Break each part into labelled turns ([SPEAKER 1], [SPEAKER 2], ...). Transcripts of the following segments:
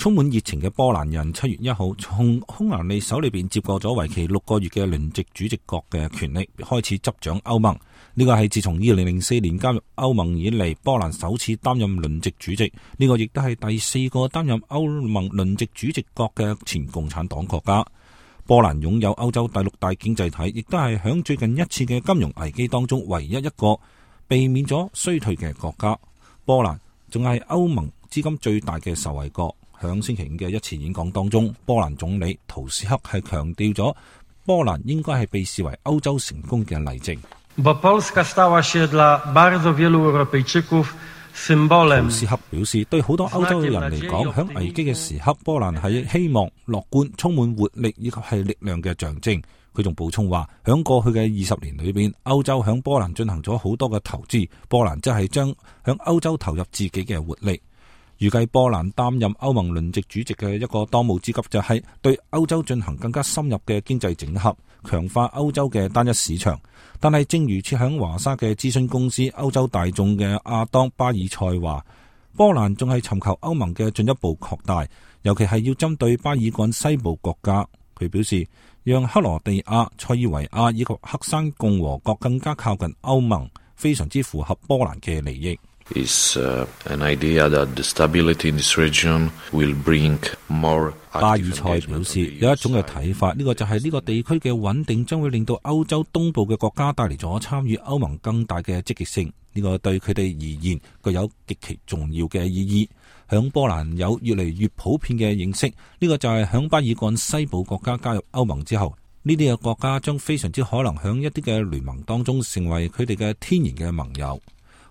[SPEAKER 1] 充滿熱情嘅波蘭人7月1號從匈牙利手裏邊接過咗為期6個月嘅輪值主席國嘅權力，開始執掌歐盟。呢個係自從2004年加入歐盟以嚟，波蘭首次擔任輪值主席。呢個亦都係第4個擔任歐盟輪值主席國嘅前共產黨國家。波蘭擁有歐洲第6大經濟體，亦都係響最近一次嘅金融危機當中唯一一個避免咗衰退嘅國家。波蘭仲係歐盟資金最大嘅受惠國。響星期5嘅一次演講當中，波蘭總理圖斯克係強調咗波蘭應該係被視為歐洲成功嘅例證。圖斯克表示，對好多歐洲嘅人嚟講，響危機嘅時刻，波蘭係希望、樂觀、充滿活力以及係力量嘅象徵。佢仲補充話，響過去嘅20年裏邊，歐洲響波蘭進行咗好多嘅投資，波蘭即係將響歐洲投入自己嘅活力。預計波蘭擔任歐盟輪值主席嘅一個當務之急就係對歐洲進行更加深入嘅經濟整合，強化歐洲嘅單一市場。但係正如設響華沙嘅諮詢公司歐洲大眾嘅亞當巴爾塞話，波蘭仲係尋求歐盟嘅進一步擴大，尤其係要針對巴爾幹西部國家。佢表示，讓克羅地亞、塞爾維亞以及黑山共和國更加靠近歐盟，非常之符合波蘭嘅利益。巴爾塞表示，有一種嘅睇法，呢個就係呢個地區嘅穩定將會令到歐洲東部嘅國家帶嚟咗參與歐盟更大嘅積極性。呢個對佢哋而言具有極其重要嘅意義。響波蘭有越嚟越普遍嘅認識，呢個就係響巴爾幹西部國家加入歐盟之後，呢啲嘅國家將非常之可能響一啲嘅聯盟當中成為佢哋嘅天然嘅盟友。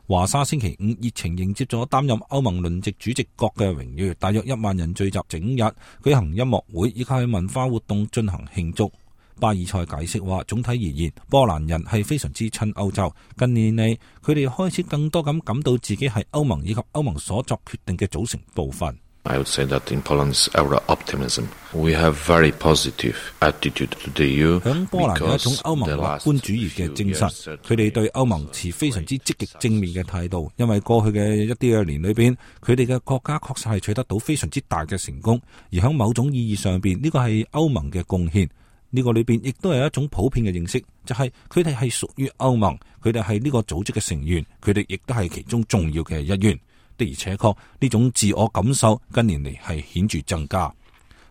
[SPEAKER 1] 華沙星期5熱情迎接咗擔任歐盟輪值主席國嘅榮譽，大約1萬人聚集整日舉行音樂會以及係文化活動進行慶祝。巴爾塞解釋話，總體而言，波蘭人係非常之親歐洲。近年嚟，佢哋開始更多咁感到自己係歐盟以及歐盟所作決定嘅組成部分。
[SPEAKER 2] I would say that in Poland's Euro-optimism, we have very positive attitude to the EU.
[SPEAKER 1] 響波蘭有一種歐盟樂觀主義嘅精神，佢哋對歐盟持非常之積極正面嘅態度。因為過去嘅一啲嘅年裏邊，佢哋嘅國家確實係取得到非常之大嘅成功，而響某種意義上邊，呢個係歐盟嘅貢獻。呢個裏邊亦都係一種普遍嘅認識，就係佢哋係屬於歐盟，佢哋係呢個組織嘅成員，佢哋亦都係其中重要嘅一員。的而且確，呢種自我感受近年嚟係顯著增加。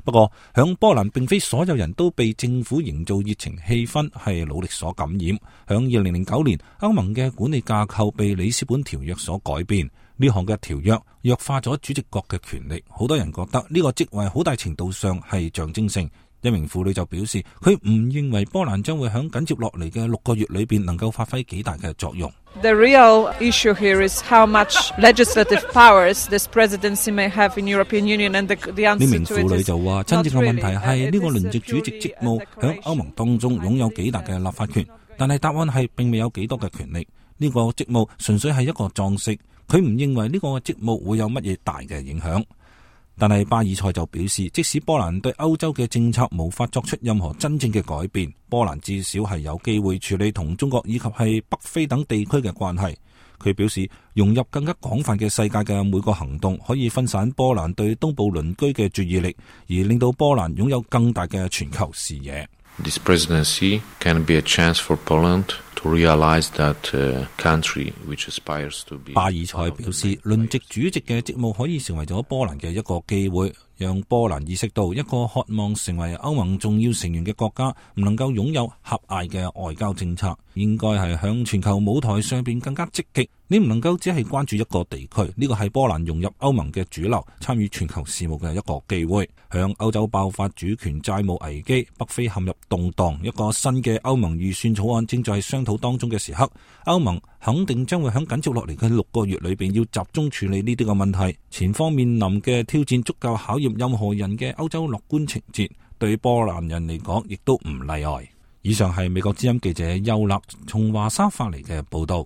[SPEAKER 1] 不過，響波蘭並非所有人都被政府營造熱情氣氛係努力所感染。響2009年，歐盟嘅管理架構被里斯本條約所改變，呢項嘅條約弱化咗主席國嘅權力。好多人覺得呢個職位好大程度上係象徵性。一名婦女就表示，佢唔認為波蘭將會響緊接落嚟嘅6個月裏邊能夠發揮幾大嘅作用。
[SPEAKER 3] The real issue here is how much legislative powers this presidency may have in European Union, and the answer to it is not really.
[SPEAKER 1] 呢名婦女就話，真正嘅問題係呢個輪值主席職務響歐盟當中擁有幾大嘅立法權，但係答案係並未有幾多嘅權力。呢個職務純粹係一個裝飾，佢唔認為呢個職務會有乜嘢大嘅影響。但係巴爾塞就表示，即使波蘭對歐洲嘅政策無法作出任何真正嘅改變，波蘭至少係有機會處理同中國以及係北非等地區嘅關係。佢表示，融入更加廣泛嘅世界嘅每個行動，可以分散波蘭對東部鄰居嘅注意力，而令到波蘭擁有更大嘅全球視野。
[SPEAKER 2] This presidency can be a chance for Poland to realize that country which aspires to be.
[SPEAKER 1] 巴爾塞表示，輪值主席嘅職務可以成為咗波蘭嘅一個機會，讓波蘭意識到一個渴望成為歐盟重要成員嘅國家唔能夠擁有狹隘嘅外交政策，應該係向全球舞台上邊更加積極。你唔能夠只係關注一個地區，呢個係波蘭融入歐盟嘅主流，參與全球事務嘅一個機會。向歐洲爆發主權債務危機，北非陷入動盪，一個新嘅歐盟預算草案正在商討當中嘅時刻，歐盟肯定將會喺緊接落嚟嘅6個月裏邊要集中處理呢啲嘅問題。前方面臨嘅挑戰足夠考驗任何人嘅歐洲樂觀情節，對波蘭人嚟講亦都唔例外。以上係美國之音記者邱立從華沙發嚟嘅報道。